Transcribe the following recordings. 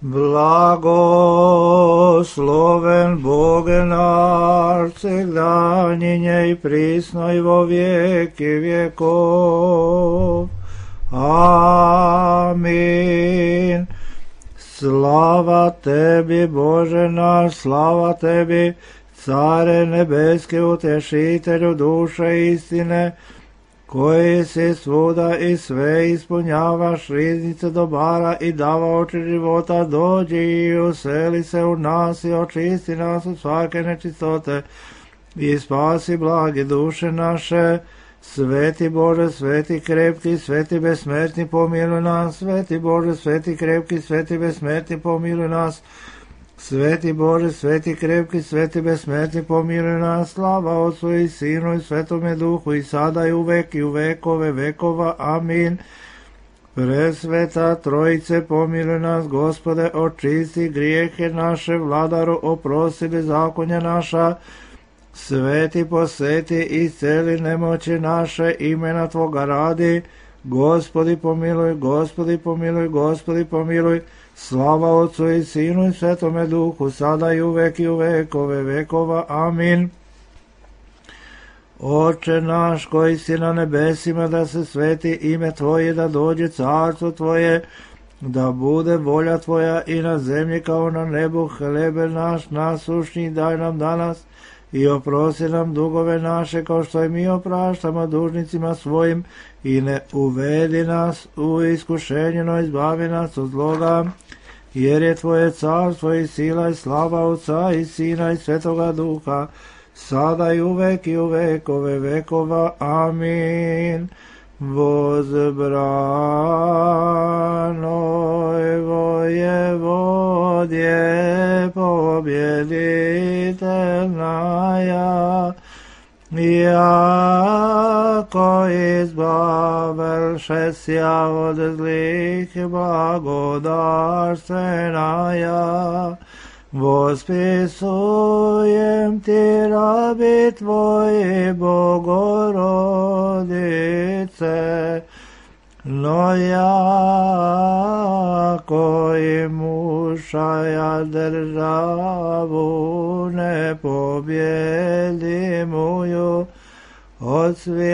Blagosloven Boge naš, segdanjenje i prisno i vo vijeki vjekov. Amin. Slava tebi, Bože naš, slava tebi, Care nebeske, utešitelju duše istine, koji si svuda i sve ispunjavaš, riznice dobara i davaoči života, dođi i useli se u nas i očisti nas od svake nečistote i spasi blage duše naše. Sveti Bože, sveti krepki, sveti besmrtni, pomiluj nas. Sveti Bože, sveti krepki, sveti besmrtni, pomiluj nas. Sveti Bože, sveti krepki, sveti besmrtni, pomiluj nas. Slava Otcu i Sinu i Svetome Duhu, i sada i uvek i u vekove vekova. Amin. Presveta Trojice, pomiluj nas, Gospode, očisti grijehe naše, Vladaru, oprosti bezakonja naša. Sveti posveti i celi nemoći naše, imena Tvoga radi. Gospodi pomiluj, Gospodi pomiluj, Gospodi pomiluj. Slava Otcu i Sinu i Svetome Duhu, sada i uvek i u vekove vekova. Amin. Oče naš koji si na nebesima, da se sveti ime Tvoje, da dođe carstvo Tvoje, da bude volja Tvoja i na zemlji kao na nebu. Hlebe naš nasušni daj nam danas i oprosti nam dugove naše, kao što i mi opraštamo dužnicima svojim, i ne uvedi nas u iskušenje, no izbavi nas od zloga, jer je Tvoje carstvo i sila i slava Otca i Sina i Svetoga Duha, sada i uvek i u vekove vekova. Amin. Возбранoj воеводje побjeditelnaja, jako izbavil sja od zlih blagodarstvenaja. Vospisujem ti rabi Tvoji, Bogorodice, no jako i mušaja državu ne pobjedimuju, od svijakih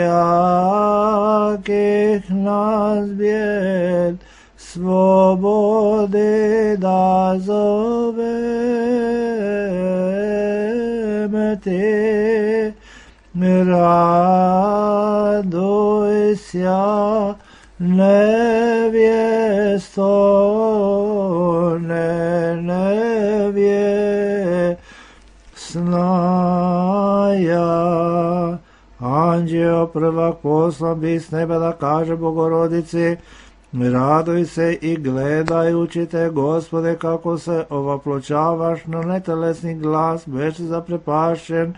nas bijed svobodi da zovem ti. Raduj sja nevjesto, nevjesnaja. Anđeo prvak poslan bi s neba da kaže Bogorodici, raduj se i gledajući te, Gospode, kako se ovaploćavaš na netelesni glas, beše zaprepašćen,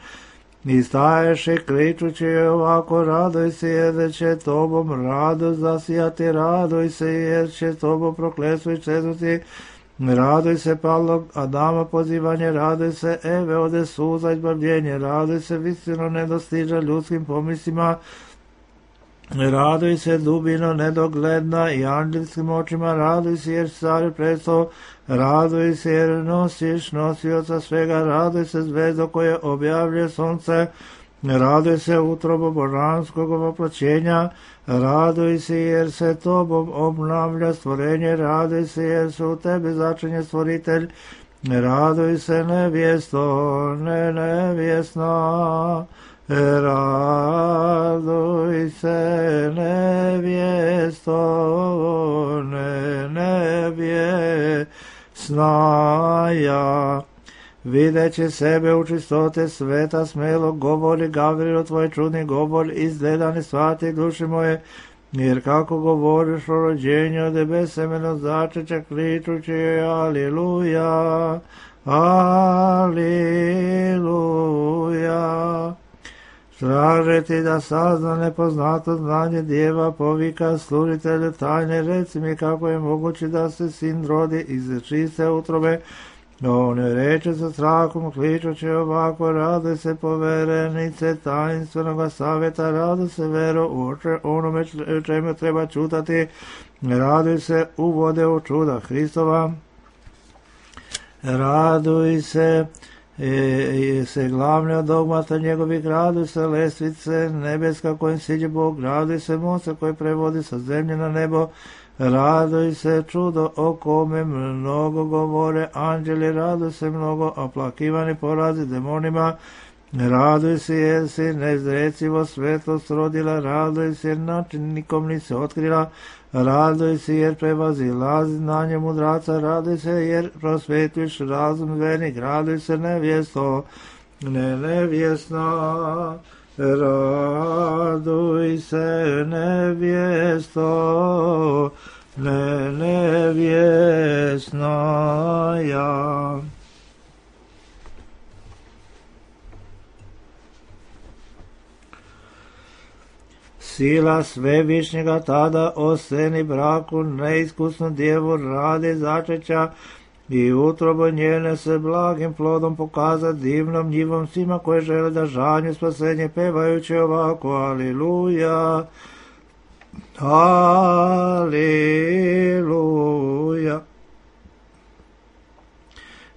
i staješ i kričući ovako, raduj se jer će tobom radost zasijati, raduj se jer će tobom prokletstvo i čeznuti, raduj se padlog Adama pozivanje, raduj se Eve ode suza izbavljenje, raduj se visino nedostiža ljudskim pomislima, raduj se dubino nedogledna i anđelskim očima, raduj se jer stari presto, raduj se jer nosiš nosioca svega, raduj se zvezdo koje objavljuje sunce, raduj se utrobo božanskog ovoploćenja, raduj se jer se tobom obnavlja stvorenje, raduj se jer se u tebi začinje stvoritelj, raduj se nevjesto, nevjesna, raduj se nevjesto, nevjesnaja. Videći sebe u čistote sveta smelo govori Gavrilo, tvoj čudni govor izgledani svati duši moje, jer kako govoriš o rođenju od besemeno začeća kričući aliluja, aliluja. Traže ti da sazna nepoznato znanje djeva, povika služitelju tajne, reci mi kako je moguće da se sin rodi iz čiste utrobe. On reče sa strahom, kličući ovako, raduj se poverenice tajnstvenog savjeta, raduj se vero u onome čemu treba čutati, raduj se uvode u čuda Hristova. Raduj se, se glavni od dogmata njegovih, raduj se lestvice nebeska kojim siđe Bog, raduj se mosta koji prevodi sa zemlje na nebo, raduj se čudo o kome mnogo govore anđeli, raduj se mnogo oplakivani porazi demonima, raduj se jer si neizrecivo svetlost rodila, raduj se jer način nikom nisi otkrila, raduj se jer prevazilazi znanje mudraca, raduj se jer prosvetuješ razum vernik, raduj se nevjesto, nevjesna, raduj se nevjesto, nevjesna ja. Sila svevišnjega tada oseni braku neiskusnu djevu radi začeća i utrobo njene se blagim plodom pokaza divnom njivom svima koje žele da žanju spasenje pevajući ovako aliluja, aliluja.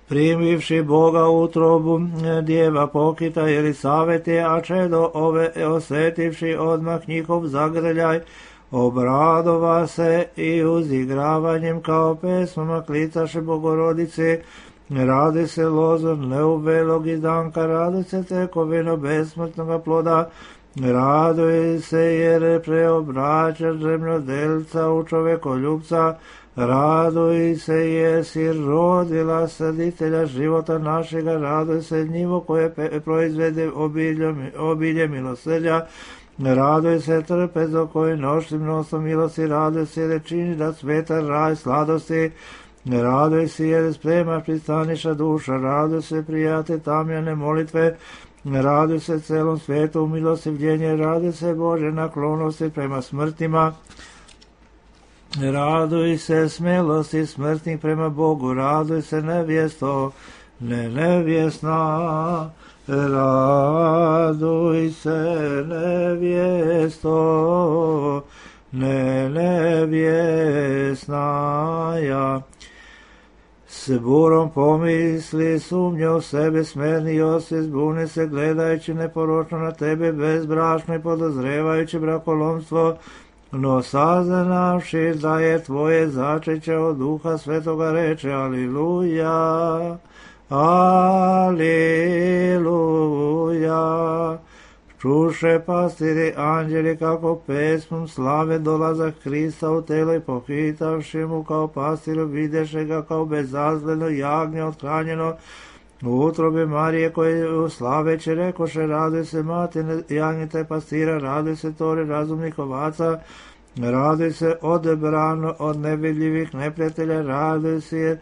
Primivši Boga utrobu, djeva pokita Jelisavete, a čedo ove osjetivši odmah njihov zagrljaj, obradova se i uzigravanjem kao pesmama klicaše Bogorodice, radi se lozor neubelog izdanka, radi se tekovino besmrtnoga ploda, raduje se jer preobraća zemljodelca u čovekoljubca, raduj se jer si rodila saditelja života našega, raduj se njivo koje proizvede obilje milosrđa, raduj se trpezo koji noši mnoštvo milosti, raduj se jer čini da sveta raj sladosti, raduj se jer spremaš pristaniša duša, raduj se prijate tamjane molitve, raduj se celom svijetu milostivljenje, raduj se Bože naklonosti prema smrtima, raduj se smelosti smrtnih prema Bogu, raduj se nevjesto, nevjesna, raduj se nevjesto, nevjesna ja. S burom pomisli sumnje u sebe smerni Josif, zbuni se gledajući neporočno na tebe bezbrašno i podozrevajući brakolomstvo, no saznavši da je tvoje začeće od Duha Svetoga reče aliluja, aliluja. Čuše pastiri anđeli kako pesmom slave dolazak Krista u telo i pohitavši mu kao pastiru videše ga kao bezazleno jagnje othranjeno u utrobe Marije koje slaveće rekoše raduj se matine jagnjete pastira, raduj se tori razumnih ovaca, raduj se odebrano od nevidljivih neprijatelja, raduj se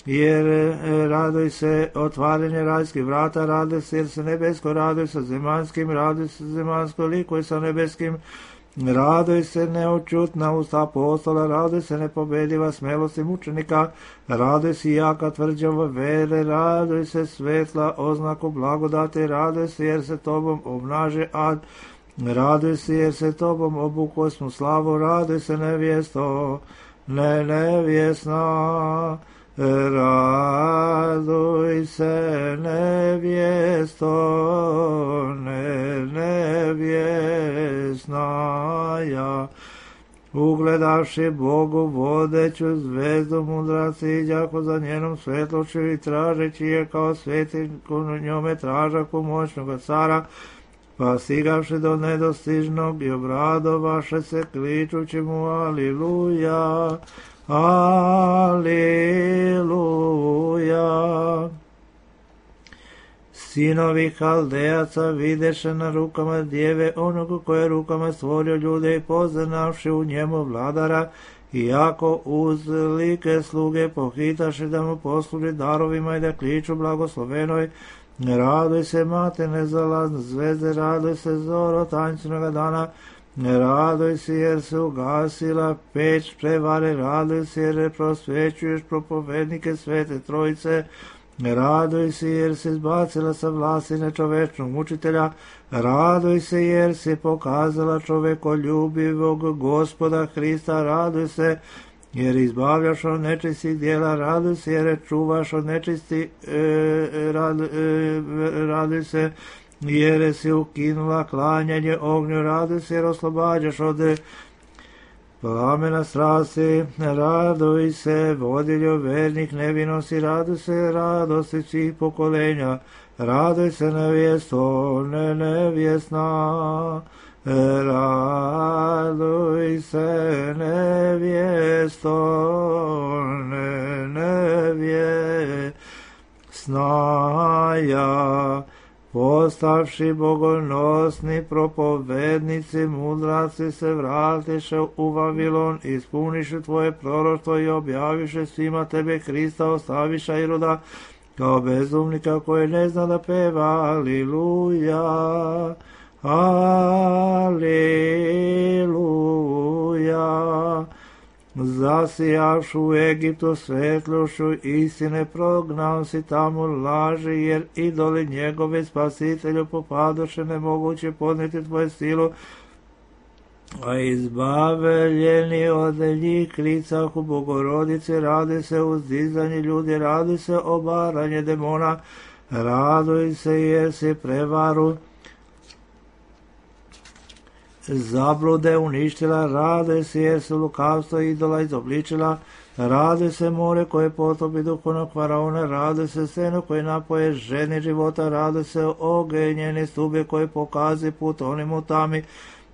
jer raduj se otvaranje rajskih vrata, raduj se jer se nebesko, raduj se zemanskim, raduj se zemansko likuj sa nebeskim, raduj se neočutna usta apostola, raduj se nepobediva smelosti mučenika, raduj se jaka tvrđava vere, raduj se svetla oznaku blagodati, raduj se jer se tobom obnaže ad, raduj se jer se tobom obuko smo slavu, raduj se nevjesto, nevjesna, raduj se nevjesto, nevjesna ja. Ugledavši Bogu vodeću zvezdu mudraci iđako za njenom svetlošću i tražeći je kao svetiku njome tražaku moćnoga cara, pa stigavši do nedostižnog i obradovaše se kličući mu aliluja, aliluja. Sinovi Haldejaca videše na rukama djeve onog koje rukama stvorio ljude i poznavši u njemu vladara, iako uz like sluge pohitaše da mu posluži darovima i da kliču blagoslovenoj, raduj se mate nezalazne zvezde, raduj se zoro tanjčinoga dana, raduj se jer se ugasila peć prevare, raduj se jer prosvećuješ propovednike Svete Trojice, raduj se jer se izbacila sa vlasti nečovečnog mučitelja, raduj se jer se pokazala čovekoljubivog Gospoda Hrista, raduj se jer izbavljaš od nečistih djela, raduj se, jer čuvaš od nečistih, raduj se, jer si ukinula klanjanje ognju, raduj se, jer oslobađaš od plamena strasti, raduj se, vodilju vernik nevinosti, raduj se, radosti svih pokolenja, raduj se, nevjesto, nevjesna, raduj se, nevjesto, nevjesna, ja, postavši bogonosni propovednici, mudraci se vratiše u Vavilon, ispuniše tvoje proroštvo i objaviše svima tebe Krista, ostaviša Iroda kao bezumnika koji ne zna da peva. Aliluja, aliluja. Zasijavšu u Egiptu svetlošću istine, prognao si tamo laži, jer idoli njegove spasitelju popadoše, nemoguće podnijeti tvoje silu, a izbavljeni od njih klicahu Bogorodice, radi se uzdizanje ljudi, radi se obaranje demona, raduj se jer si prevaru zablude uništila, rade se jer se lukavstvo idola izobličila, rade se more koje potopi duhovnog faraona, rade se seno koje napoje ženi života, rade se ogenjene stube koje pokazi put onim u tami,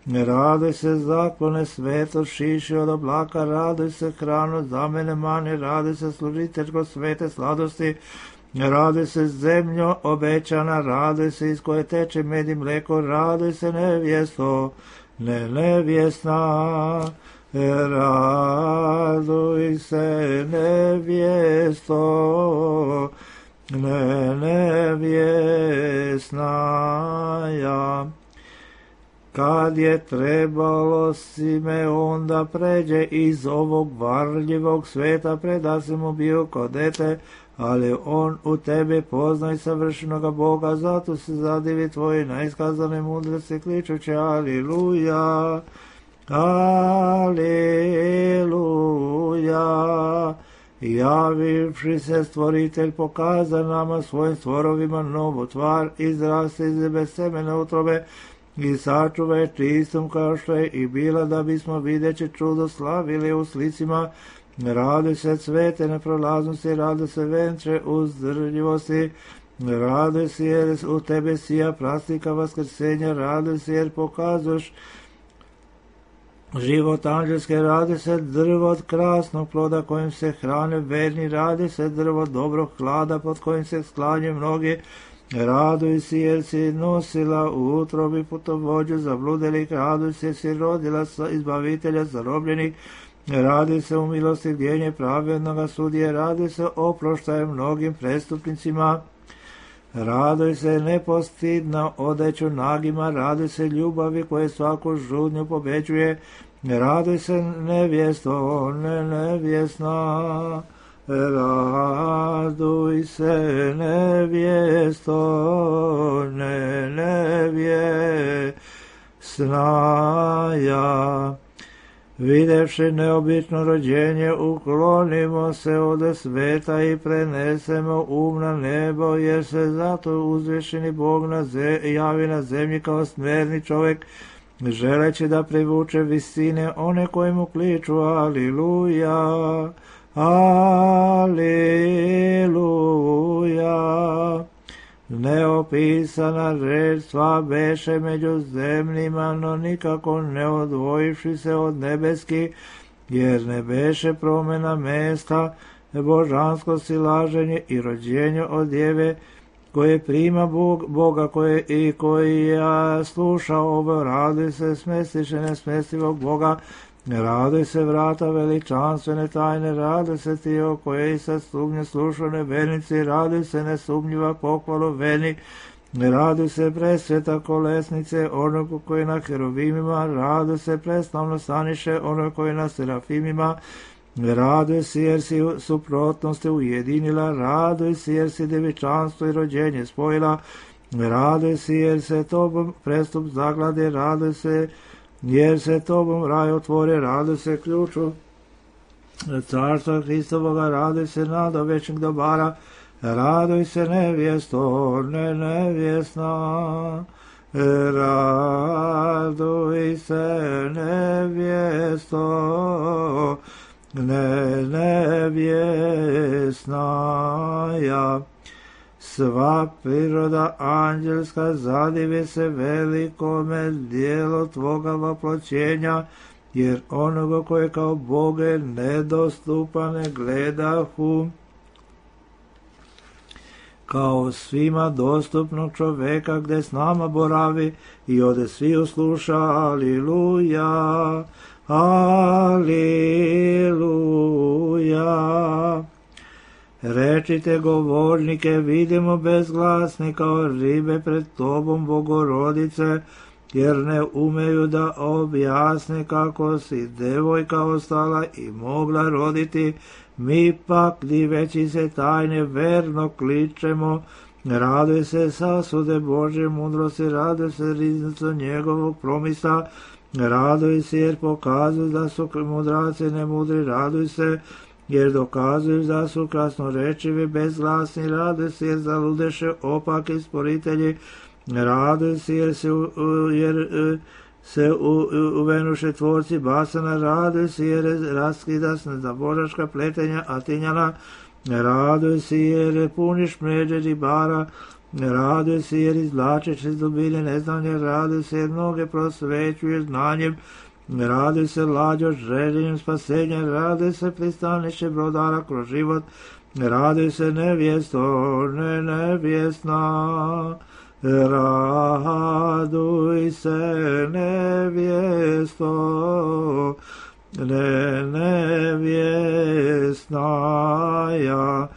rade se zaklone sveto šiši od oblaka, rade se hranu zamene mane, rade se služiteljko svete sladosti, rade se zemljo obećana, rade se iz koje teče med i mleko, rade se nevjesto, nevjesna, raduj se nevjesto, nevjesna, ja. Kad je trebalo Simeon da pređe iz ovog varljivog sveta, preda se mu bio kao dete, ali on u tebe poznaj savršenoga Boga, zato se zadivi tvoje naiskazane mudrosti, kličući aliluja, aliluja. Javivši se stvoritelj pokaza nama svojim stvorovima novu tvar, izraste iz bez semene utrobe i sačuvaj čistom kao što je i bila, da bismo videći čudo slavili u slicima. Radi se cvete neprolaznosti, radi se venče uzdržljivosti, radi se jer u tebe sija prastika vaskrsenja, radi se jer pokazuješ život anđelske, radi se drvo od krasnog ploda kojim se hrane verni, radi se drvo dobrog hlada pod kojim se sklanje mnogi, raduj se jer si nosila u utrobi putovođu zabludelih, raduj se jer si rodila izbavitelja zarobljenih, radi se u milosti gdjenje pravednoga sudije, radi se oproštaje mnogim prestupnicima, raduj se nepostidna odeću nagima, raduj se ljubavi koje svaku žudnju pobeđuje, raduj se nevjesto, nevjesna, raduj se nevjesto, nevjesna, ja. Videvši neobično rođenje, uklonimo se od sveta i prenesemo na nebo, jer se zato uzvišeni Bog javi na zemlji kao smjerni čovjek, želeći da privuče visine one koje mu kliču aliluja, aliluja. Neopisana reč sva beše među zemljima, no nikako ne odvojivši se od nebeski, jer ne beše promjena mesta, božansko silaženje i rođenje od djeve, koje prima Boga koji ja sluša ovo, raduj se smestiše nesmestivog Boga, raduj se vrata veličanstvene tajne, raduj se ti o kojej sa sumnje slušane vernici, raduj se nesumnjiva pohvalu vernik, raduj se presveta kolesnice onog koji na heruvimima, raduj se preslavno staniše onog koji na serafimima, raduj se jer si suprotnosti ujedinila, raduj se jer si devičanstvo i rođenje spojila, raduj se jer se tobom prestup zaglade, raduj se jer se tobom raj otvore, raduj se ključu Carstva Hristovoga, raduj se nado večnih dobara, raduj se nevjesto, nevjesna. Raduj se nevjesto, nevjesnaja. Sva priroda anđelska zadivi se velikome dijelu tvoga voploćenja, jer onoga koje kao Boge nedostupane gledahu, kao svima dostupnog čoveka gde s nama boravi i ode svi usluša. Aliluja, aliluja. Rečite govornike, vidimo bezglasni kao ribe pred tobom, Bogorodice, jer ne umeju da objasne kako si devojka ostala i mogla roditi. Mi pak, diveći se tajne, verno kličemo. Raduj se sasude Božje mudrosti, raduj se riznico njegovog promisa, raduj se jer pokazuju da su mudraci nemudri, raduj se jer dokazuju da su krasnorečivi bezglasni, raduj se jer zaludeše opaki sporitelji, raduj se jer se uvenuše tvorci basana, raduj se jer raskida se za božačka pletenja Atinjana, raduj se jer puniš mreže ribara, raduj se jer izvlačeš iz dubine neznanja, raduj se jer mnoge prosvećuješ znanjem, raduj se lađo željenjem spasenja, raduj se pristaniše brodara kroz život, raduj se nevjesto, nevjesna. Raduj se nevjesto, nevjesnaja.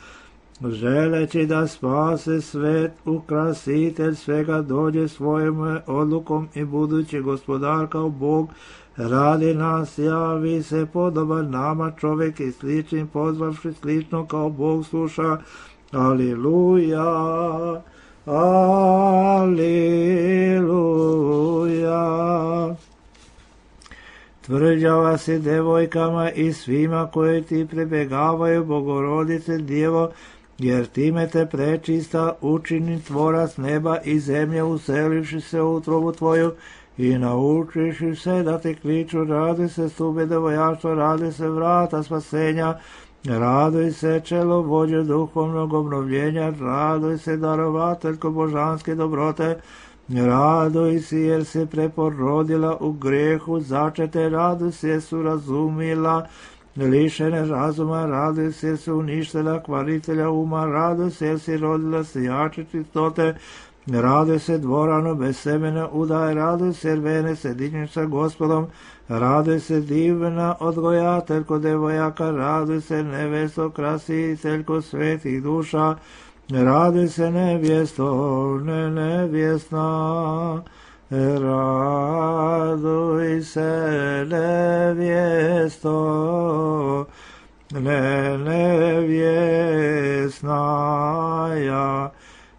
Želeći da spase svet, ukrasitelj svega dođe svojom odlukom i budući gospodar kao Bog radi nas, javi se podoban nama čovjek i sličnim pozvavši slično kao Bog sluša. Aliluja. Aliluja. Tvrđava si devojkama i svima koji ti prebegavaju, Bogorodice Djevo, jer time te prečista učini tvorac neba i zemlje, uselivši se u utrobu tvoju i naučiši se da te kliču. Raduj se stube devojaštva, raduj se vrata spasenja, raduj se čelo vođe duhovnog obnovljenja, raduj se darovateljko božanske dobrote, raduj se jer se preporodila u grehu začete, raduj se jer su razumila lišene razuma, raduj se jer se uništila kvaritelja uma, raduj se jer si rodila sijače čistote, raduj se dvorano bez semena udaj, raduj se jer vene se digneš sa Gospodom, raduj se divna odgojateljko devojaka, raduj se nevesto krasiteljko svetih duša, raduj se nevjesto, nevjesna, raduj se nevjesto, nevjesnaja.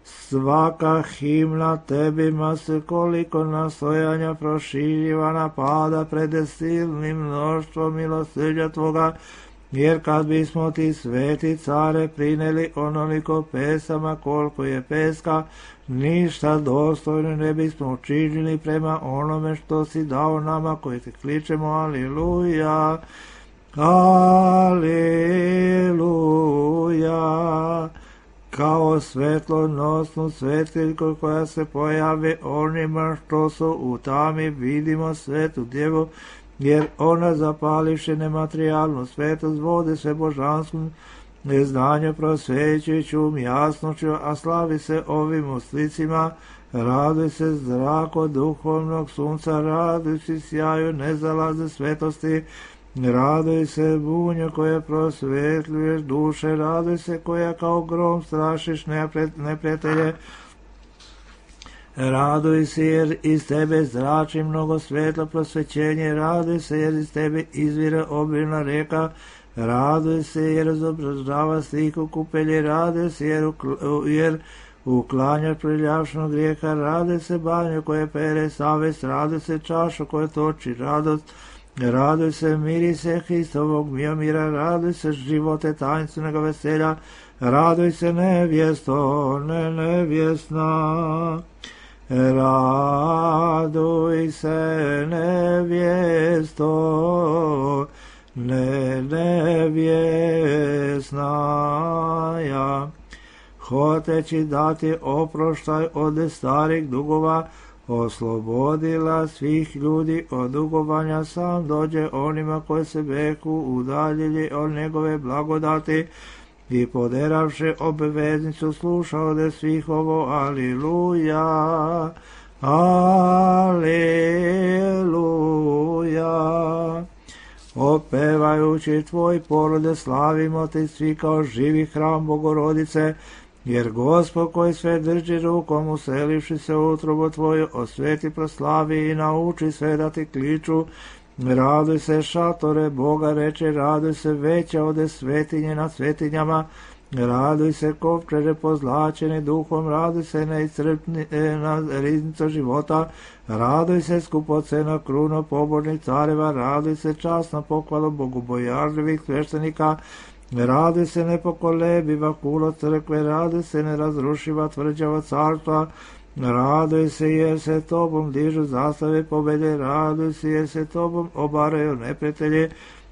Svaka himna tebima se koliko nastojanja proširivana pada pred silnim mnoštvom milosrđa tvoga, jer kad bismo ti sveti care prineli onoliko pesama koliko je peska, ništa dostojno ne bismo učinili prema onome što si dao nama koji te kličemo. Aliluja, aliluja. Kao svetlonosnu svetiljku koja se pojavi onima što su u tami, vidimo svetu Djevu, jer ona zapališe nematerijalnu svetost, vode se božanskom neznanju prosvećujuću jasnoću, a slavi se ovim uslicima. Raduj se zrako duhovnog sunca, raduj se sjaju nezalazne svetosti, raduj se bunju koje prosvetljuješ duše, raduj se koja kao grom strašiš neprijatelje, raduj se jer iz tebe zrači mnogo svetlo prosvećenje, raduj se jer iz tebe izvire obilna reka, raduj se jer izobražava sliku kupelje, raduj se jer uklanjaš priljavšnog grijeha, raduj se banju koje pere savest, raduj se čašu koje toči radost, Raduj se mirise Hristovog mira, raduj se živote tajenstvenog veselja, raduj se nevjesto, nevjesna. Raduj se nevjesto, nevjesnaja. Hoteći dati oproštaj od starih dugova, oslobodila svih ljudi od dugovanja, sam dođe onima koji se beku udaljili od njegove blagodati i poderavši obveznicu sluša od svih ovo. Aliluja, aliluja. Opevajući tvoj porode slavimo te svi kao živi hram Bogorodice, jer Gospod koji sve drži rukom, uselivši se u utrobu tvoju, osveti, proslavi i nauči sve da ti kliču. Raduj se šatore Boga, reče, raduj se veća ode svetinje nad svetinjama, raduj se kovčeže pozlačeni duhom, raduj se neiscrpna riznica života, raduj se skupocena kruno pobožnih careva, raduj se časna pohvala bogobojažljivih sveštenika, raduj se nepokolebiva kulo crkve, raduj se nerazrušiva tvrđava carstva, raduj se jer se tobom dižu zastave pobede, raduj se jer se tobom obaraju neprijatelji,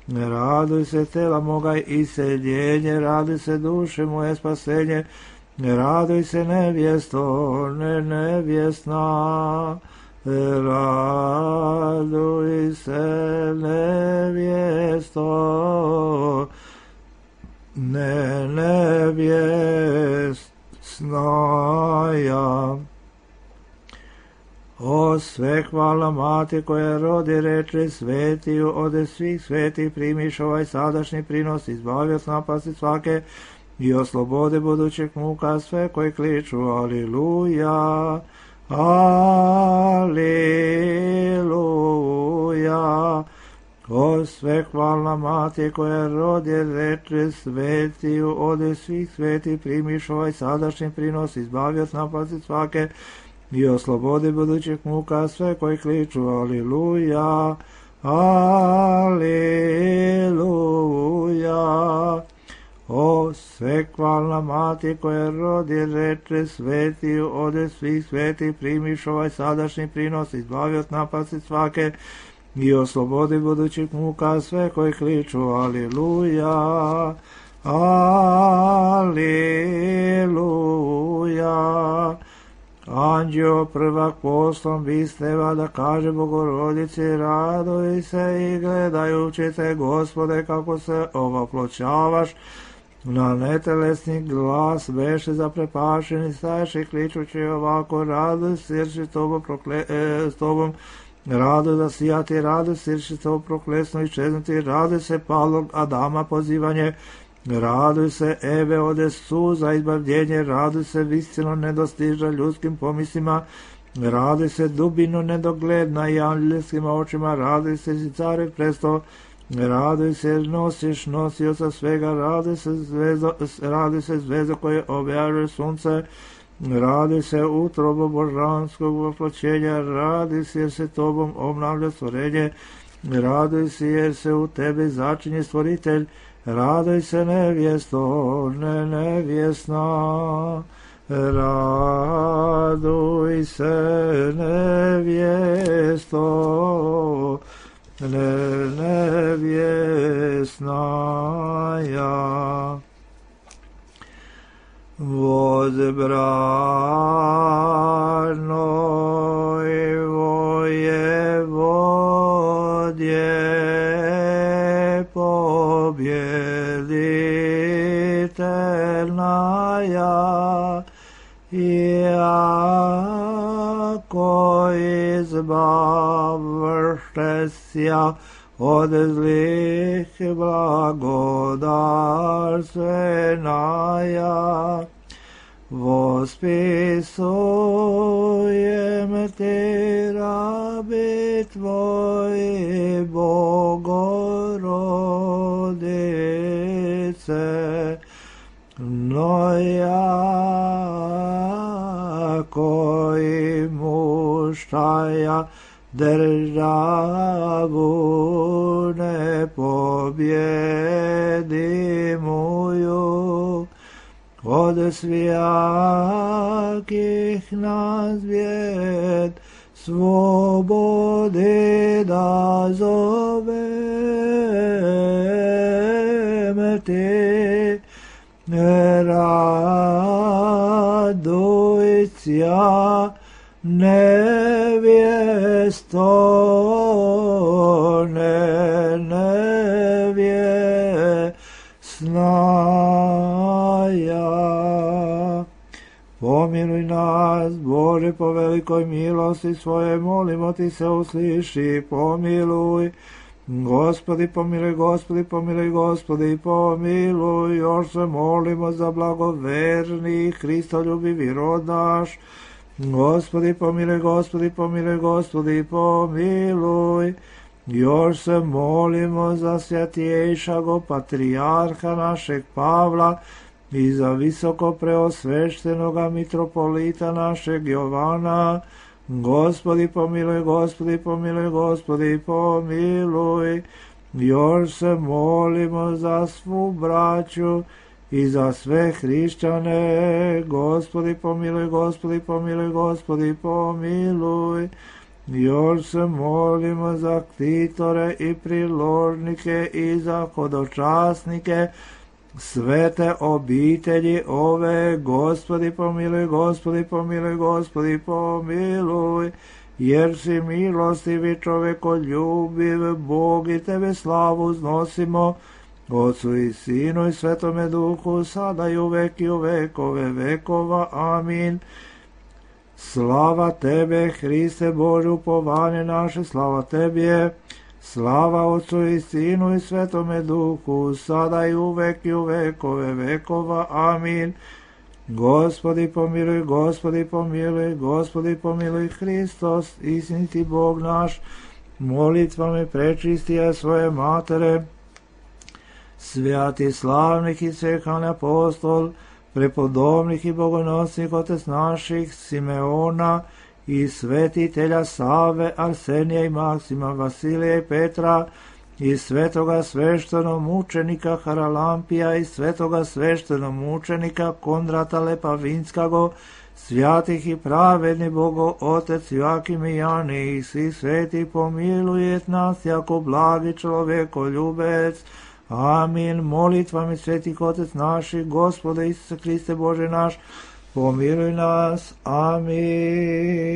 raduj se tela moga iseljenje, raduj se duše moje spasenje, raduj se nevjesto, nevjesna, raduj se nevjesto, nevjesnaja. O sve hvala mati koja rodi, reče, svetiju ode svih svetih, primiš ovaj sadašnji prinos, izbavi od napasti svake i oslobode budućeg muka sve koji kliču. Aliluja, aliluja. O sve hvalna mati koja rodi, reče, svetiju ode svih svetih, primiš ovaj sadašnji prinos, izbavi od napasti svake i oslobodi budućih muka sve koji kliču. Aliluja, aliluja. O sve hvalna mati koja rodi, reče, svetiju ode svih svetih, primiš ovaj sadašnji prinos, izbavi od napasti svake i oslobodi budućih muka sve koji kliču. Aliluja, aliluja. Anđeo prvak poslom bisteva da kaže Bogorodici, raduj se i gledajući te, Gospode, kako se ovoploćavaš, na netelesni glas beše zaprepašeni, staješi kličući ovako, raduj se jer si s tobom raduj da sijati, raduj se jer si to proklesno iščeznuti, raduj se palog Adama pozivanje, raduj se Eve ode suza izbavljenje, raduj se visino nedostiža ljudskim pomislima, raduj se dubino nedogledna i anđelskim očima, raduj se si care presto, raduj se nosiš nosioca svega, raduj se zvezdo koje objaže sunce, raduj se utrobo božanskog voploćenja, raduj se jer se tobom obnavlja stvorenje, raduj se jer se u tebi začinje stvoritelj, raduj se nevjesto, nevjesna, raduj se nevjesto, nevjesnaja. Возбрано его Еводье победительная, яко избавшеся od zlih blagodarstveная, восписуем Ти, раби Твои, Богородице, но яко и мущая državu nepobjedimuju, od svijakih nas vijed slobode da zoveme te, radujcia nevjesto, nevjesnaja. Pomiluj nas, Bože, po velikoj milosti svoje, molimo ti se, usliši, pomiluj. Gospodi, pomiluj, Gospodi, pomiluj, Gospodi, pomiluj. Još se molimo za blagoverni, Hristoljubivi rod naš. Gospodi, pomiluj, Gospodi, pomiluj, Gospodi, pomiluj. Još se molimo za svjatjejšago patrijarha našeg Pavla i za visoko preosveštenoga mitropolita našeg Jovana. Gospodi, pomiluj, Gospodi, pomiluj, Gospodi, pomiluj. Još se molimo za svu braću i za sve hrišćane. Gospodi, pomiluj, Gospodi, pomiluj, Gospodi, pomiluj. Još se molimo za ktitore i priložnike i za hodočasnike svete obitelji ove. Gospodi, pomiluj, Gospodi, pomiluj, Gospodi, pomiluj. Jer si milostivi, čovekoljubiv Bog, i tebe slavu znosimo, Otcu i Sinu i Svetome Duhu, sada i uvek i u vekove vekova. Amin. Slava tebe, Hriste Bože, upovanje naše, slava tebi. Slava Otcu i Sinu i Svetome Duhu, sada i uvek i u vekove vekova. Amin. Gospodi pomiluj, Gospodi pomiluj, Gospodi pomiluj, Hristos, istiniti Bog naš, molitvami prečistija svoje matere, svjati slavnih i svehan apostol, prepodobnih i bogonosnih otec naših, Simeona i svetitelja Save, Arsenija i Maksima, Vasilija i Petra, i svetoga sveštenomučenika Haralampija i svetoga sveštenomučenika Kondrata Lepavinskago, svjatih i pravedni Bogo Otec Joakim i Jani i svi sveti, pomilujet nas jako blagi čovekoljubec. Amin. Molitvami svetih Otec naših, Gospode Isuse Hriste Bože naš, pomiluj nas. Amin.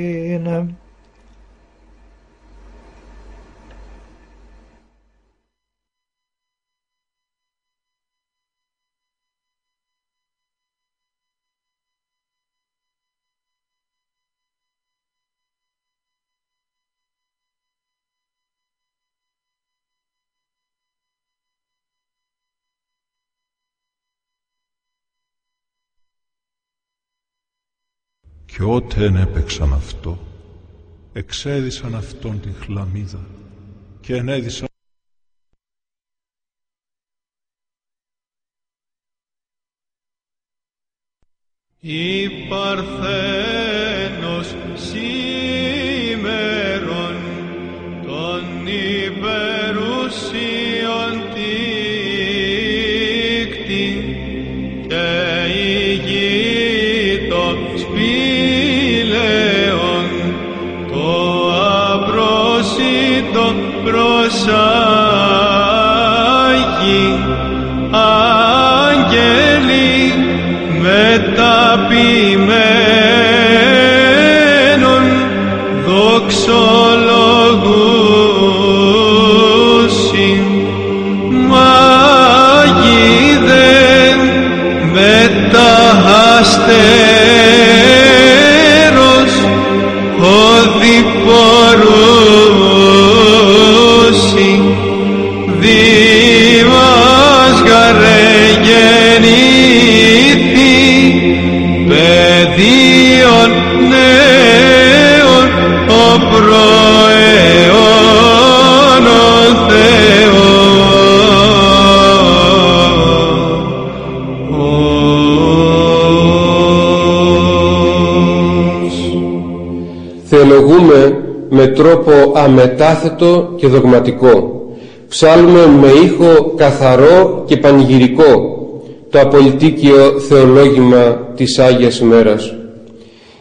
Κι ότεν έπαιξαν αυτό, εξέδισαν αυτόν την χλαμίδα και ενέδισαν η Παρθένος σήμερον των υπερουσίων τίκτη και ηγείτο σπήλαιον το απρόσιτο προσάγει άγγελοι μεταποιημένων δοξολογούσιν μάγιδεν μεταχαστέρος οδηπορούσιν δήμας γαρεγεννήθη παιδίον νέων ο προαιών ο Θεός. με τρόπο αμετάθετο και δογματικό. Ψάλουμε με ήχο καθαρό και πανηγυρικό το απολυτίκιο θεολόγημα της Άγιας ημέρας.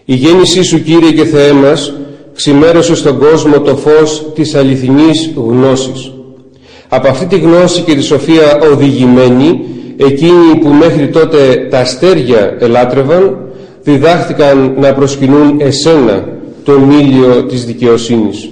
Η γέννησή σου, Κύριε και Θεέ μας, ξημέρωσε στον κόσμο το φως της αληθινής γνώσης. Από αυτή τη γνώση και τη σοφία οδηγημένοι, εκείνοι που μέχρι τότε τα αστέρια ελάτρευαν, διδάχθηκαν να προσκυνούν εσένα, τον ήλιο της δικαιοσύνης.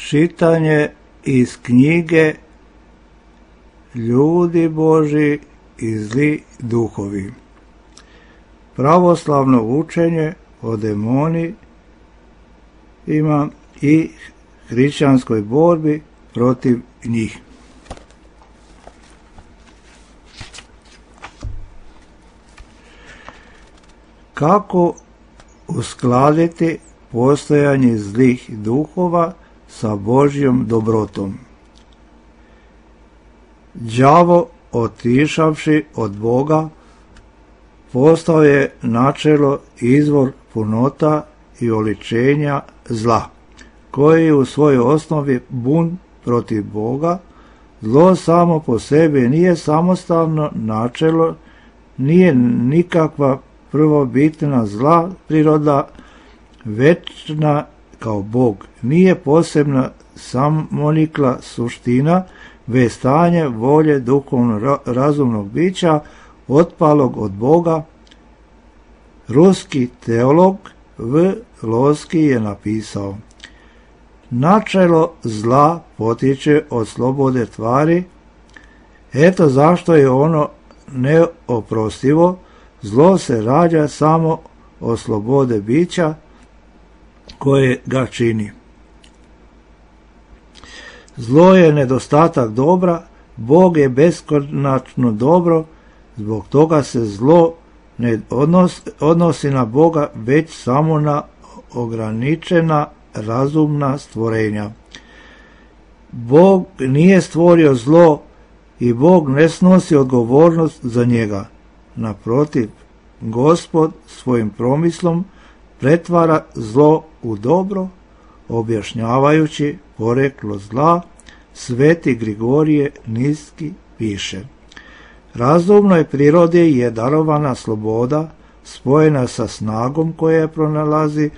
Čitanje iz knjige Ljudi Božji i zli duhovi. Pravoslavno učenje o demonima i hrišćanskoj borbi protiv njih. Kako uskladiti postojanje zlih duhova sa Božjom dobrotom? Đavo, otišavši od Boga, postao je načelo izvor punota i oličenja zla, koji u svojoj osnovi bunt protiv Boga. Zlo samo po sebi nije samostalno načelo, nije nikakva prvobitna zla priroda, večna kao Bog, nije posebna samonikla suština, već stanje volje duhovno razumnog bića otpalog od Boga. Ruski teolog V. Loski je napisao: načelo zla potiče od slobode tvari, eto zašto je ono neoprostivo. Zlo se rađa samo od slobode bića koje ga čini. Zlo je nedostatak dobra, Bog je beskonačno dobro, zbog toga se zlo ne odnosi na Boga, već samo na ograničena razumna stvorenja. Bog nije stvorio zlo i Bog ne snosi odgovornost za njega. Naprotiv, Gospod svojim promislom pretvara zlo u dobro, objašnjavajući poreklo zla. Sveti Grigorije Niski piše: razumnoj prirodi je darovana sloboda, spojena sa snagom koja pronalazi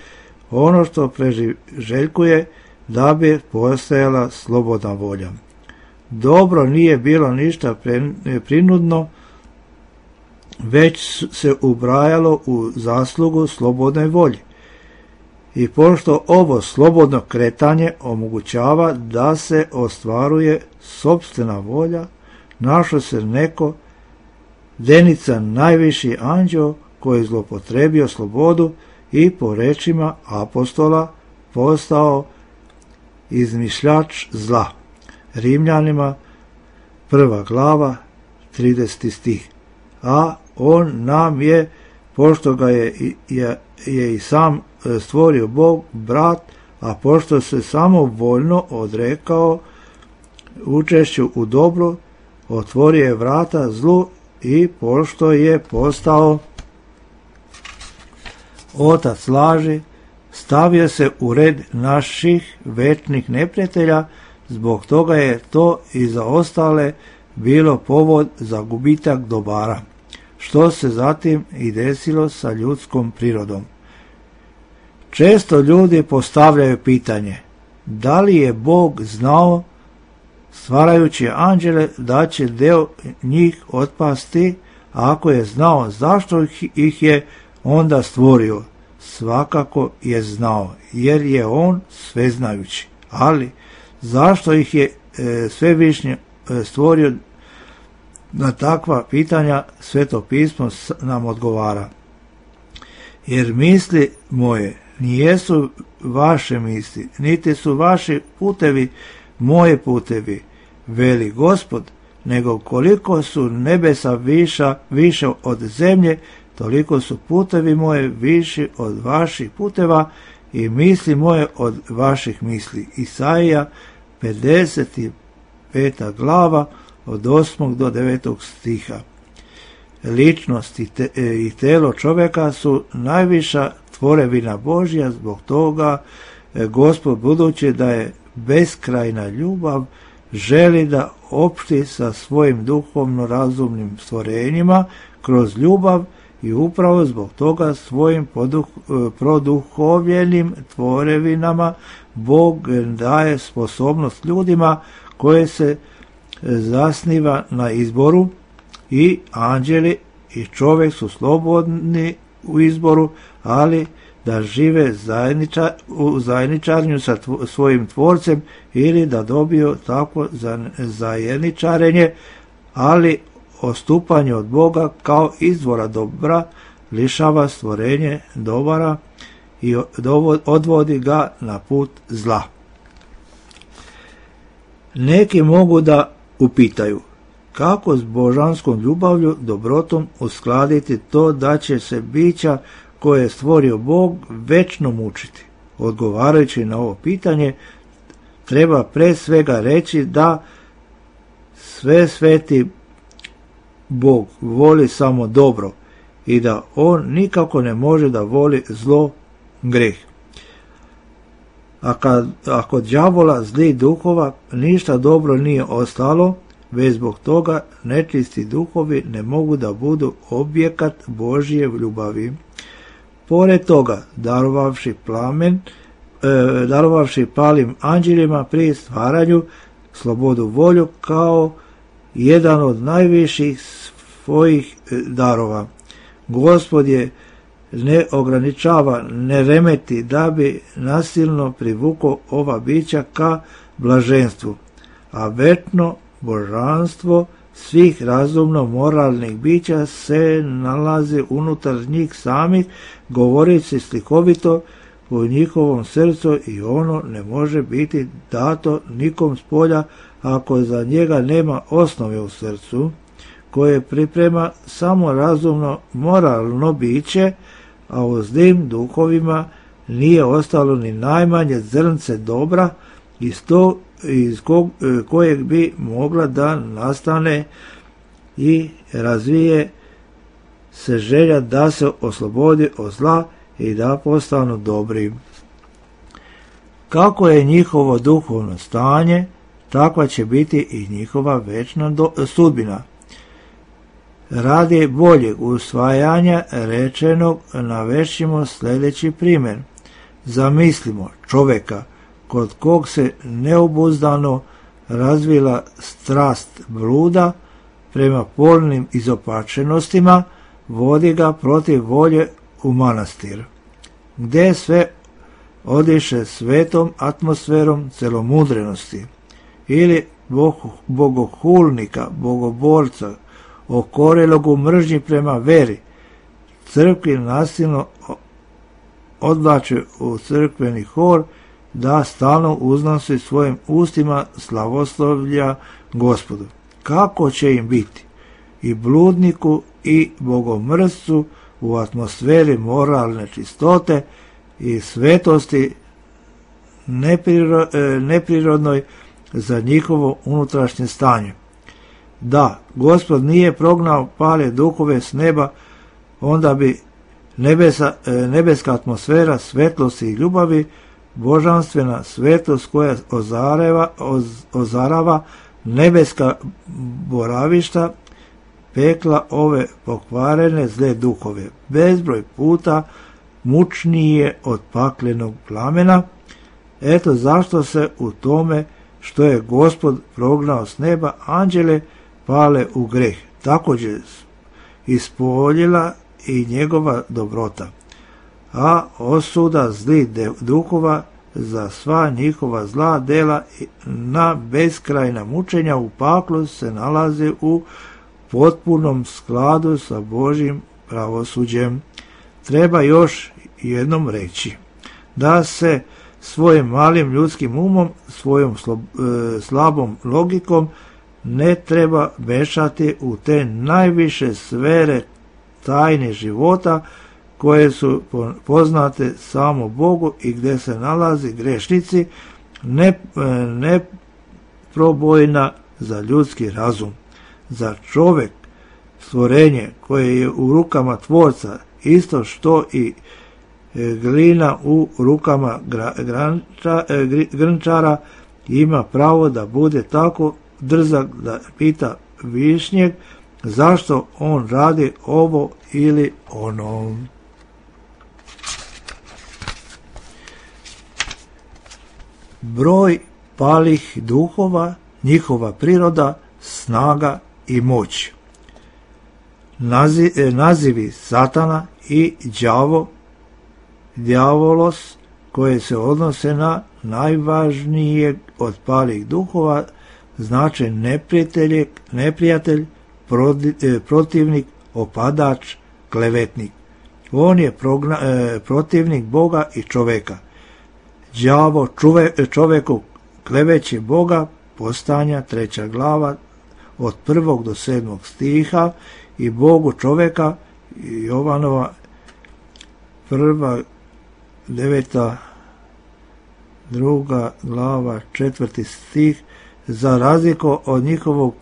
ono što preželjkuje da bi postojala slobodna volja. Dobro nije bilo ništa prinudno, već se ubrajalo u zaslugu slobodnoj volji. I pošto ovo slobodno kretanje omogućava da se ostvaruje sopstvena volja, našao se neko Denica, najviši anđeo, koji je zlopotrebio slobodu i po rečima apostola postao izmišljač zla. Rimljanima 1. glava 30. stih. A on nam je, pošto ga je i sam stvorio Bog, brat, a pošto se samovoljno odrekao učešću u dobru, otvorio je vrata zlu i pošto je postao otac laži, stavio se u red naših večnih neprijatelja, zbog toga je to i za ostale bilo povod za gubitak dobara, što se zatim i desilo sa ljudskom prirodom. Često ljudi postavljaju pitanje: da li je Bog znao, stvarajući anđele, da će deo njih otpasti? Ako je znao, zašto ih je onda stvorio? Svakako je znao, jer je on sveznajući. Ali zašto ih je svevišnji stvorio? Na takva pitanja Sveto pismo nam odgovara: jer misli moje nijesu vaše misli, niti su vaši putevi moje putevi, veli Gospod, nego koliko su nebesa više od zemlje, toliko su putevi moje viši od vaših puteva i misli moje od vaših misli. Isaija 55. glava od 8. do 9. stiha. Ličnost i telo čovjeka su najviša tvorevina Božja, zbog toga Gospod, budući da je beskrajna ljubav, želi da opšti sa svojim duhovno razumnim stvorenjima kroz ljubav i upravo zbog toga svojim produhovljenim tvorevinama Bog daje sposobnost ljudima koje se zasniva na izboru, i anđeli i čovjek su slobodni u izboru, ali da žive u zajedničarenju sa svojim tvorcem ili da dobiju takvo zajedničarenje, ali odstupanje od Boga kao izvora dobra lišava stvorenje dobara i odvodi ga na put zla. Neki mogu da upitaju kako s božanskom ljubavlju, dobrotom uskladiti to da će se bića koje je stvorio Bog večno mučiti. Odgovarajući na ovo pitanje, treba pre svega reći da sve sveti Bog voli samo dobro i da on nikako ne može da voli zlo, greh. A kod đavola zlih duhova ništa dobro nije ostalo, već zbog toga nečisti duhovi ne mogu da budu objekat Božje ljubavi. Pored toga, darovavši palim anđelima pri stvaranju slobodu volju kao jedan od najviših svojih darova, Gospod je ne ograničava, ne remeti da bi nasilno privukao ova bića ka blaženstvu, a večno božanstvo svih razumno moralnih bića se nalazi unutar njih samih, govoreći slikovito u njihovom srcu, i ono ne može biti dato nikom spolja ako za njega nema osnove u srcu, koje priprema samo razumno moralno biće, a u zlim duhovima nije ostalo ni najmanje zrnce dobra iz kojeg bi mogla da nastane i razvije se želja da se oslobodi od zla i da postanu dobri. Kako je njihovo duhovno stanje, takva će biti i njihova večna sudbina. Radi boljeg usvajanja rečenog navešćimo sljedeći primjer. Zamislimo čovjeka kod kog se neobuzdano razvila strast bluda prema polnim izopačenostima, vodi ga protiv volje u manastir, gdje sve odiše svetom atmosferom celomudrenosti, ili bogohulnika, bogoborca, okorelog u mržnji prema veri, crkvi nasilno odvlače u crkveni hor da stalno uznosi svojim ustima slavoslovlja Gospodu. Kako će im biti? I bludniku i bogomrscu u atmosferi moralne čistote i svetosti neprirodnoj za njihovo unutrašnje stanje. Da, Gospod nije prognao pale duhove s neba, onda bi nebeska atmosfera svetlosti i ljubavi, božanstvena svetost koja ozarava nebeska boravišta, pekla ove pokvarene zle duhove, bezbroj puta mučnije od paklenog plamena. Eto zašto se u tome što je Gospod prognao s neba anđele pale u greh, također ispoljila i njegova dobrota, a osuda zlih duhova za sva njihova zla dela na beskrajna mučenja u paklu se nalazi u potpunom skladu sa Božjim pravosuđem. Treba još jednom reći da se svojim malim ljudskim umom, svojom slabom logikom ne treba mešati u te najviše sfere tajne života koje su poznate samo Bogu i gdje se nalazi grešnici, neprobojna za ljudski razum. Za čovjek, stvorenje koje je u rukama tvorca, isto što i glina u rukama grnčara, ima pravo da bude tako drzak da pita višnjeg zašto on radi ovo ili ono. Broj palih duhova, njihova priroda, snaga i moć. Nazivi Satana i djavolos, koje se odnose na najvažnijeg od palih duhova, znače neprijatelj, protivnik, opadač, klevetnik. On je protivnik Boga i čoveka. Đavo čoveku kleveće Boga, Postanja 3. glava od 1. do 7. stiha, i Bogu čoveka, Jovanova 1. 9. 2. glava 4. stih, za razliku od njihovog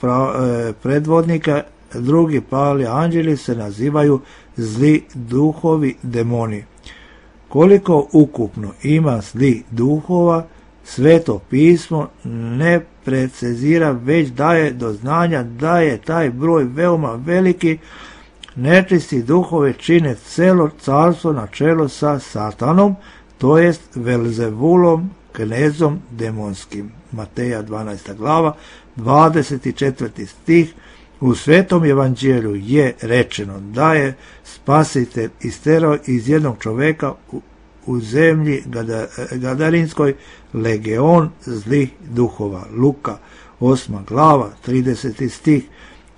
predvodnika, drugi pali anđeli se nazivaju zli duhovi, demoni. Koliko ukupno ima zli duhova, Sveto pismo ne precizira, već daje do znanja da je taj broj veoma veliki. Nečisti duhove čine celo carstvo na čelu sa Satanom, to jest Velzevulom, knezom demonskim. Mateja 12. glava, 24. stih. U Svetom evanđelju je rečeno da je Spasitelj isterao iz jednog čoveka u zemlji Gadarinskoj legion zlih duhova. Luka 8. glava, 30. stih.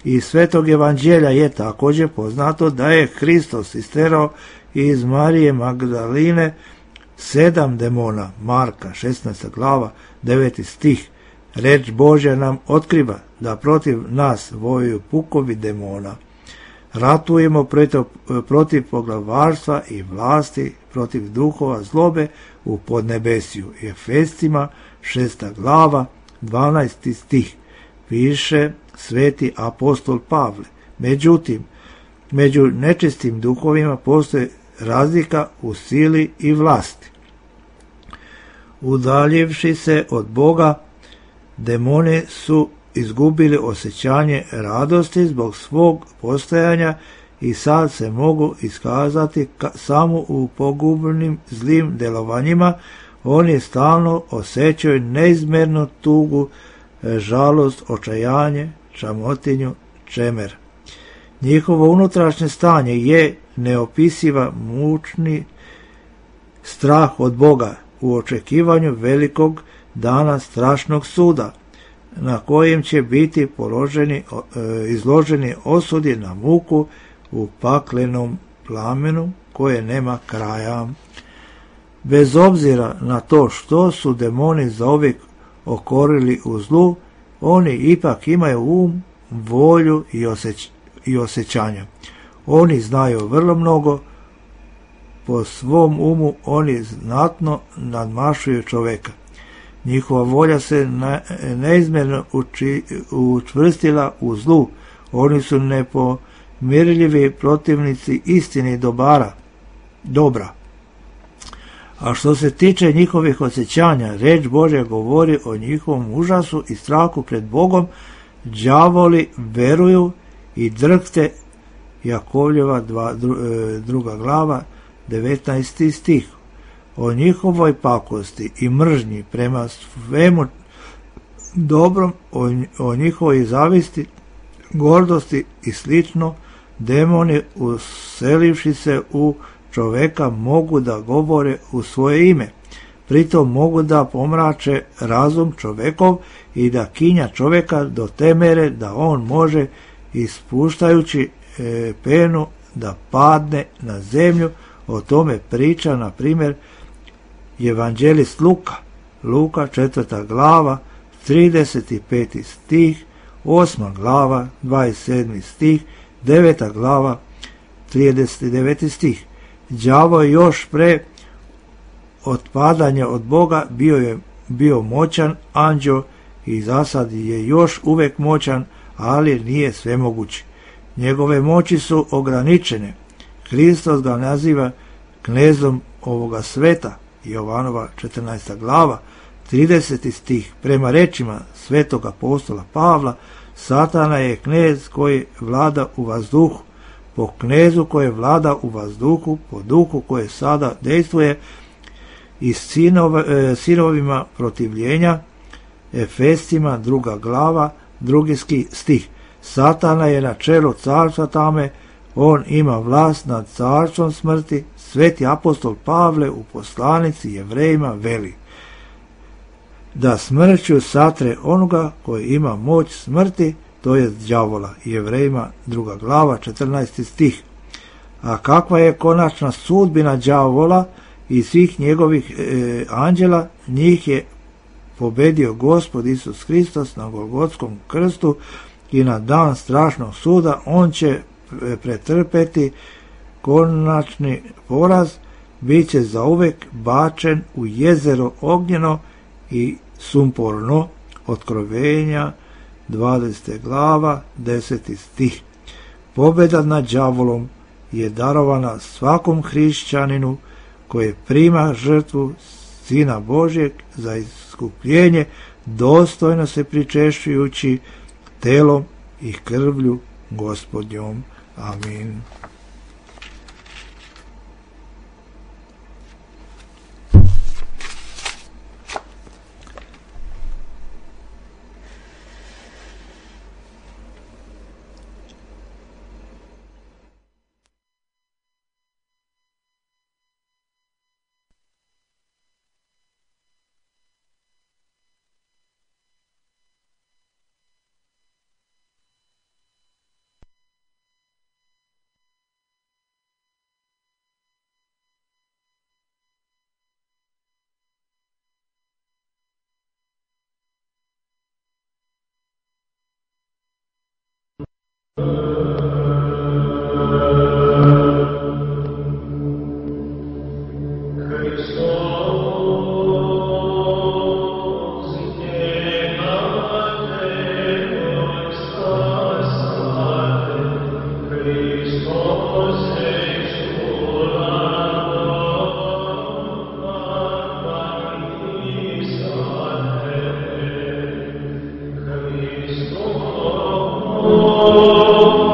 Iz Svetog evanđelja je također poznato da je Hristos isterao iz Marije Magdaline 7 demona. Marka 16. glava, 9. stih. Reč Božja nam otkriva da protiv nas vojuju pukovi demona. Ratujemo protiv poglavarstva i vlasti, protiv duhova zlobe u podnebesju. Efescima 6. glava, 12. stih. Piše sveti apostol Pavle. Međutim, među nečistim duhovima postoji razlika u sili i vlasti. Udaljivši se od Boga, demoni su izgubili osjećanje radosti zbog svog postojanja i sad se mogu iskazati samo u pogubnim zlim delovanjima. Oni stalno osjećaju neizmjernu tugu, žalost, očajanje, čamotinju, čemer. Njihovo unutrašnje stanje je neopisiva mučni strah od Boga u očekivanju velikog dana strašnog suda, na kojem će biti izloženi osudi na muku u paklenom plamenu koje nema kraja. Bez obzira na to što su demoni zauvijek okorili u zlu, oni ipak imaju um, volju i osjećanja. Oni znaju vrlo mnogo, po svom umu oni znatno nadmašuju čoveka. Njihova volja se neizmjerno učvrstila u zlu. Oni su nepomirljivi protivnici istini dobra. A što se tiče njihovih osjećanja, reč Božja govori o njihovom užasu i strahu pred Bogom. Đavoli veruju i drhte. Jakovljeva 2. glava, 19. stih. O njihovoj pakosti i mržnji prema svemu dobrom, o njihovoj zavisti, gordosti i slično, demoni uselivši se u čoveka mogu da govore u svoje ime. Pritom mogu da pomrače razum čovekov i da kinja čoveka do te mere da on može, ispuštajući penu, da padne na zemlju. O tome priča, na primjer, evanđelist Luka 4. glava, 35. stih, 8. glava, 27. stih, 9. glava, 39. stih. Đavo je još pre otpadanja od Boga bio moćan anđeo i zasad je još uvijek moćan, ali nije svemogući. Njegove moći su ograničene. Hristos ga naziva knezom ovoga sveta, Jovanova 14. glava, 30. stih. Prema rečima svetog apostola Pavla, Satana je knez koji vlada u vazduhu. Po knezu koji vlada u vazduhu, po duhu koje sada dejstvuje i sinovima protivljenja, Efescima 2. glava, 2. stih. Satana je na čelu carstva tame, on ima vlast nad carstvom smrti. Sveti apostol Pavle u poslanici Jevrejima veli da smrću satre onoga koji ima moć smrti, to je đavola. Jevrejima 2. glava, 14. stih. A kakva je konačna sudbina đavola i svih njegovih anđela? Njih je pobedio Gospod Isus Hristos na Golgotskom krstu i na dan strašnog suda on će pretrpeti konačni poraz, bit će zauvek bačen u jezero ognjeno i sumporno. Otkrovenja 20. glava, 10. stih. Pobjeda nad đavolom je darovana svakom hrišćaninu koji prima žrtvu Sina Božjeg za iskupljenje, dostojno se pričešćujući telom i krvlju Gospodnjom. Amin. Oh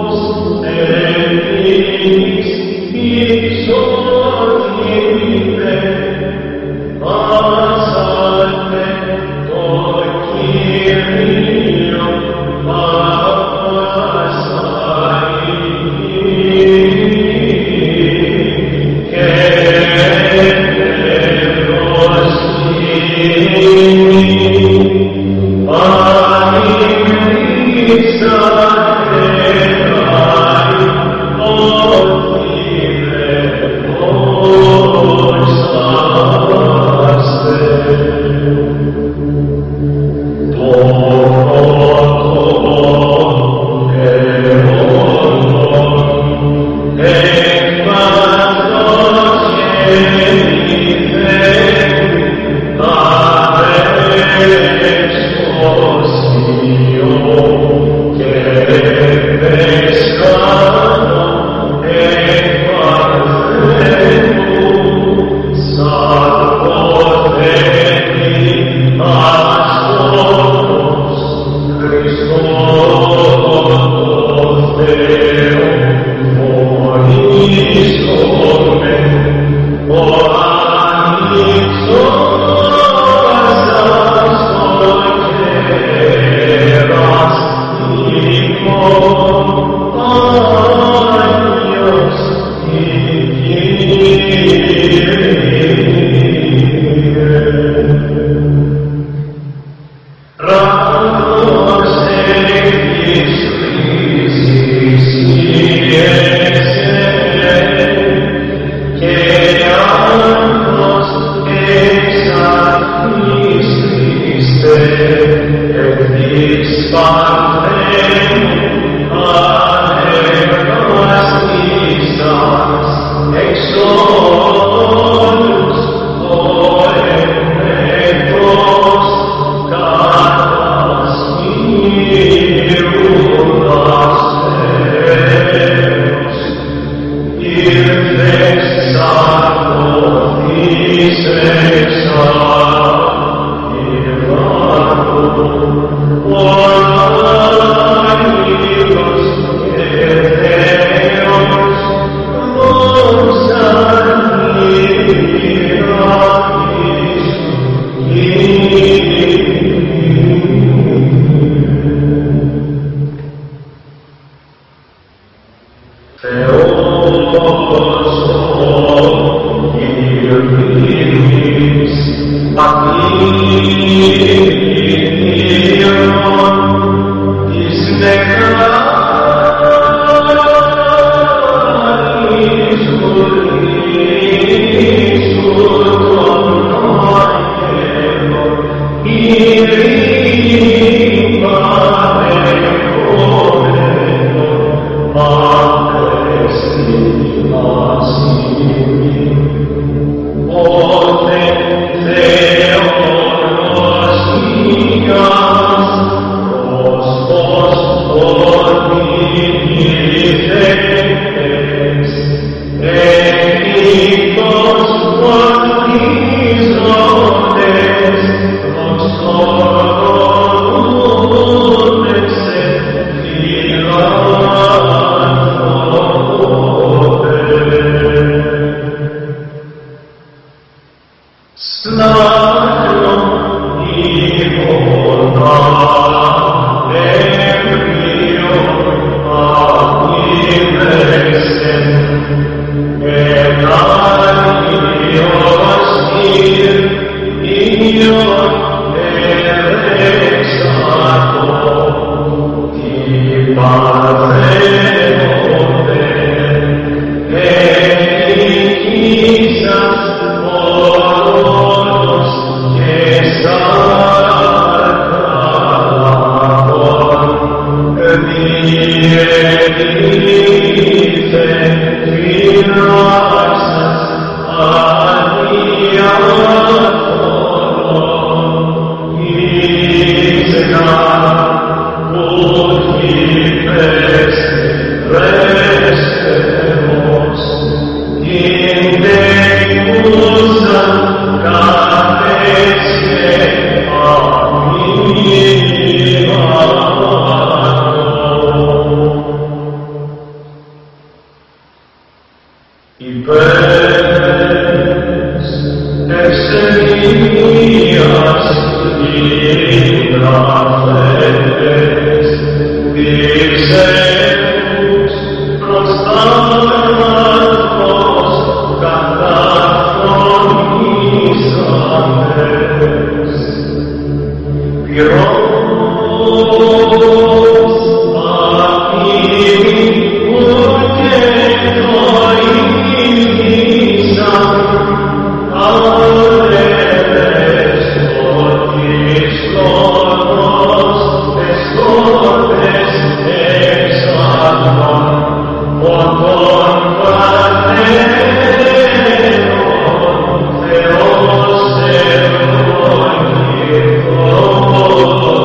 Oh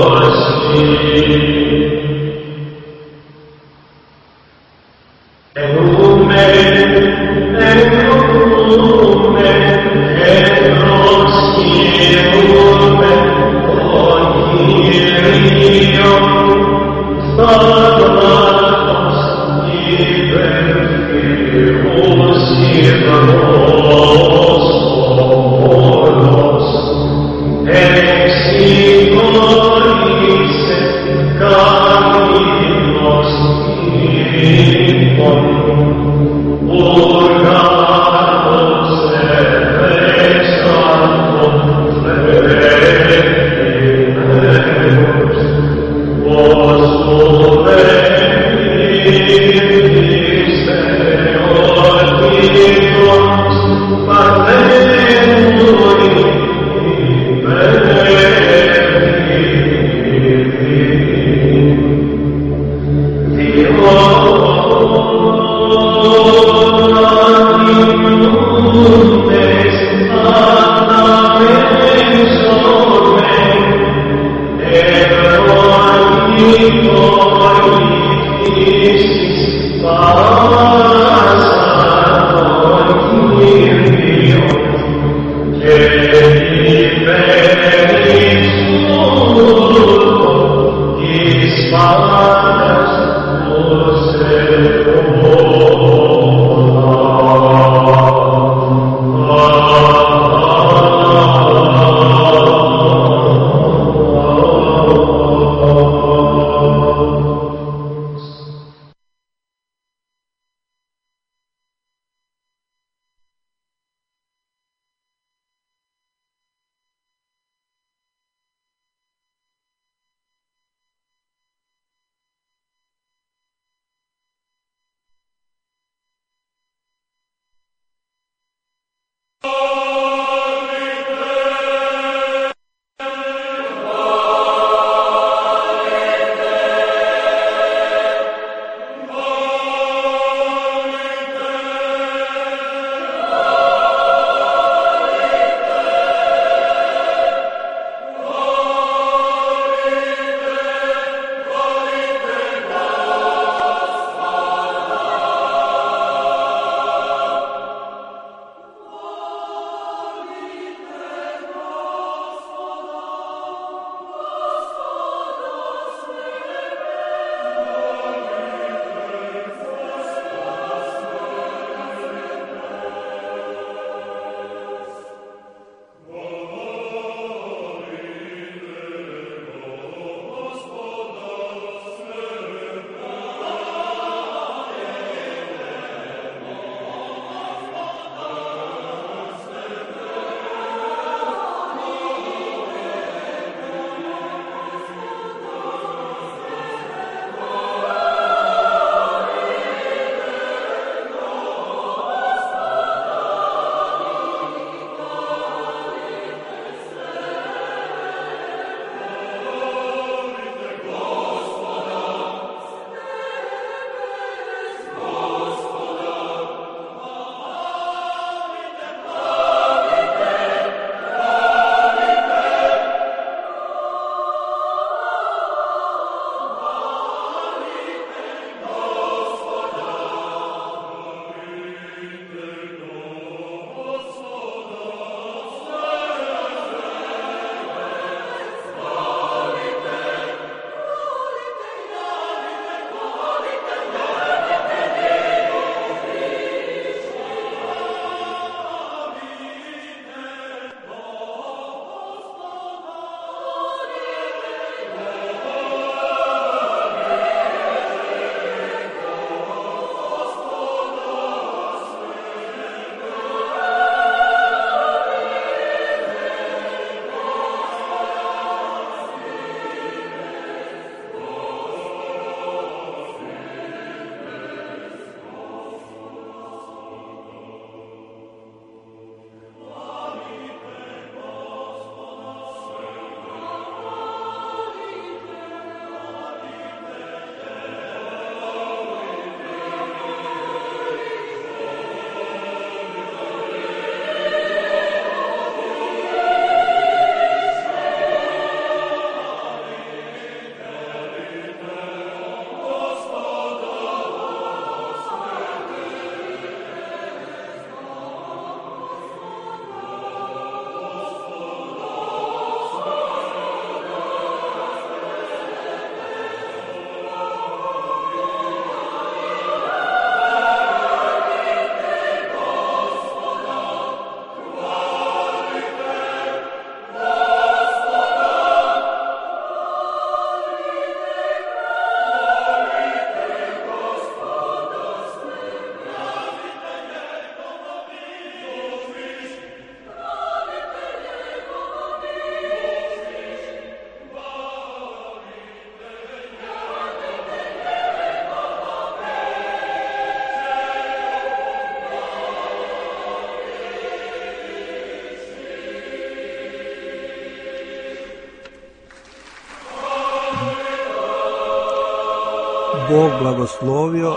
Bog blagoslovio.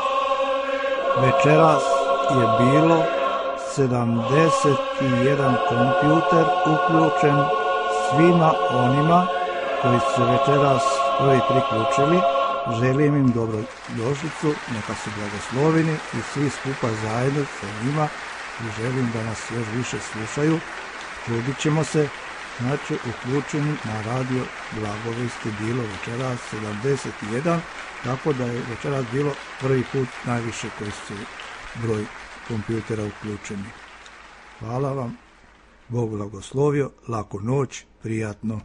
Večeras je bilo 71 kompjuter uključen svima onima koji su se večeras prvi priključili. Želim im dobrodošlicu, neka su blagosloveni i svi skupa zajedno sa njima i želim da nas još više slušaju. Trudit ćemo se, znači uključeni na radio Blagovesti bilo večeras 71, tako da je večeras bilo prvi put najviše koji su broj kompjutera uključeni. Hvala vam, Bog blagoslovio, laku noć, prijatno.